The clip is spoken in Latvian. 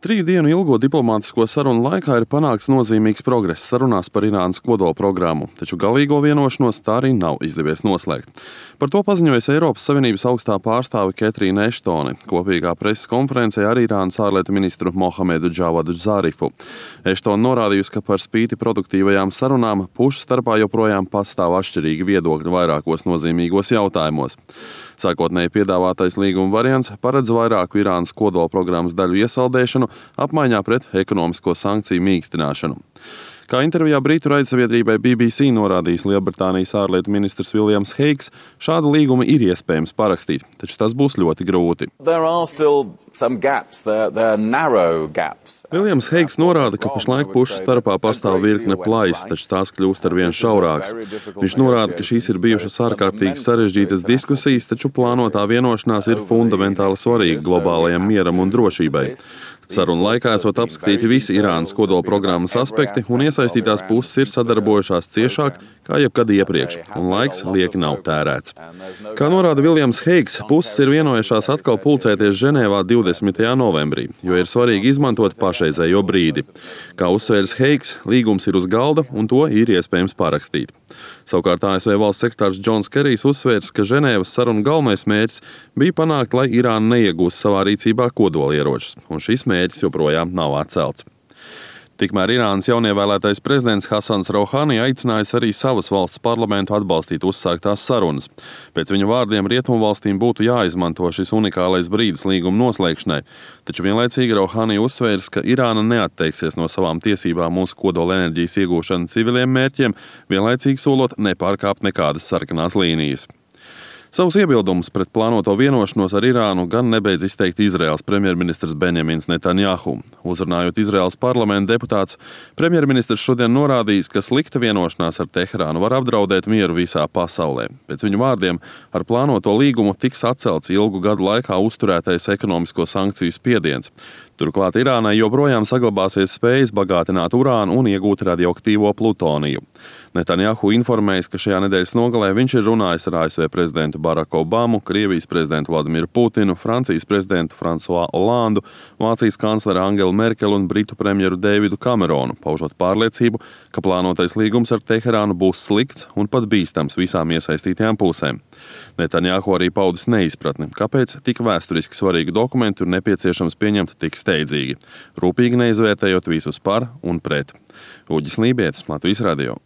3 dienu ilgo diplomātisko sarunu laikā ir panākts nozīmīgs progress sarunās par Irānas kodolprogrammu, taču galīgo vienošanos tā arī nav izdevies noslēgt. Par to paziņojusi Eiropas Savienības augstā pārstāve Ketrīna Eštone kopīgā preses konferencē ar Irānas ārlietu ministru Mohamedu Džavadu Zarifu. Eštone norādījusi, ka par spīti produktīvajām sarunām pušu starpā joprojām pastāv atšķirīgi viedokļi vairākos nozīmīgos jautājumos. Sākotnēji piedāvātais līguma variants paredz vairāku Irānas kodolprogrammas daļu iesaldēšanu apmaiņā pret ekonomisko sankciju mīkstināšanu. Kā intervijā Britu raidsabiedrībai BBC norādījis Lielbritānijas ārlietu ministrs Viljams Heigs, šādu līgumu ir iespējams parakstīt, taču tas būs ļoti grūti. Viljams Heigs norāda, ka pašlaik pušu starpā pastāv virkne plaisu, taču tās kļūst arvien šaurākas. Viņš norāda, ka šīs ir bijušas ārkārtīgi sarežģītas diskusijas, taču plānotā vienošanās ir fundamentāli svarīga globālajam mieram un drošībai. Sarunu laikā esot apskatīti visi Irānas kodolprogrammas aspekti, un iesaistītās puses ir sadarbojušās ciešāk kā jebkad iepriekš, un laiks lieki nav tērēts. Kā norāda Viljams Heigs, puses ir vienojušās atkal pulcēties Ženēvā 20. novembrī, jo ir svarīgi izmantot pašreizējo brīdi. Kā uzsvērs Heigs, līgums ir uz galda, un to ir iespējams parakstīt. Savukārt ASV valsts sekretārs Džons Kerijs uzsvērs, ka Ženēvas sarunu galvenais mērķis bija panākt, lai Irāna neiegūst savā rīcībā kodolieročus, un šis mērķis joprojām nav atcelts. Tikmēr Irānas jaunievēlētais prezidents Hasans Rouhani aicinājis arī savas valsts parlamentu atbalstīt uzsāktās sarunas. Pēc viņa vārdiem rietumvalstīm būtu jāizmanto šis unikālais brīdis līguma noslēgšanai, taču vienlaicīgi Rouhani uzsvērs, ka Irāna neatteiksies no savām tiesībām uz kodolenerģijas iegūšanu civiliem mērķiem, vienlaicīgi solot nepārkāpt nekādas sarkanās līnijas. Savus iebildumus pret plānoto vienošanos ar Irānu gan nebeidz izteikt Izraēlas premjerministrs Benjamins Netanjahu. Uzrunājot Izraēlas parlamenta deputāts, premjerministrs šodien norādījis, ka slikta vienošanās ar Teherānu var apdraudēt mieru visā pasaulē. Pēc viņa vārdiem, ar plānoto līgumu tiks atcelts ilgu gadu laikā uzturētais ekonomisko sankciju spiediens. Turklāt Irānai joprojām saglabāsies spējas bagātināt urānu un iegūt radioaktīvo plutoniju. Netanjahu informējis, ka šajā nedēļas nogalē viņš ir runājis ar ASV prezidentu Baraku Obamu, Krievijas prezidentu Vladimiru Putinu, Francijas prezidentu Fransuā Olandu, Vācijas kancleri Angelu Merkeli un Britu premjeru Deividu Kameronu, paužot pārliecību, ka plānotais līgums ar Teherānu būs slikts un pat bīstams visām iesaistītajām pusēm. Netanjahu arī paudis neizpratni, kāpēc tik vēsturiski svarīgu dokumentu ir nepieciešams pieņemt tik steidzīgi, rūpīgi neizvērtējot visus par un pret. Uģis Lībietis, Latvijas radio.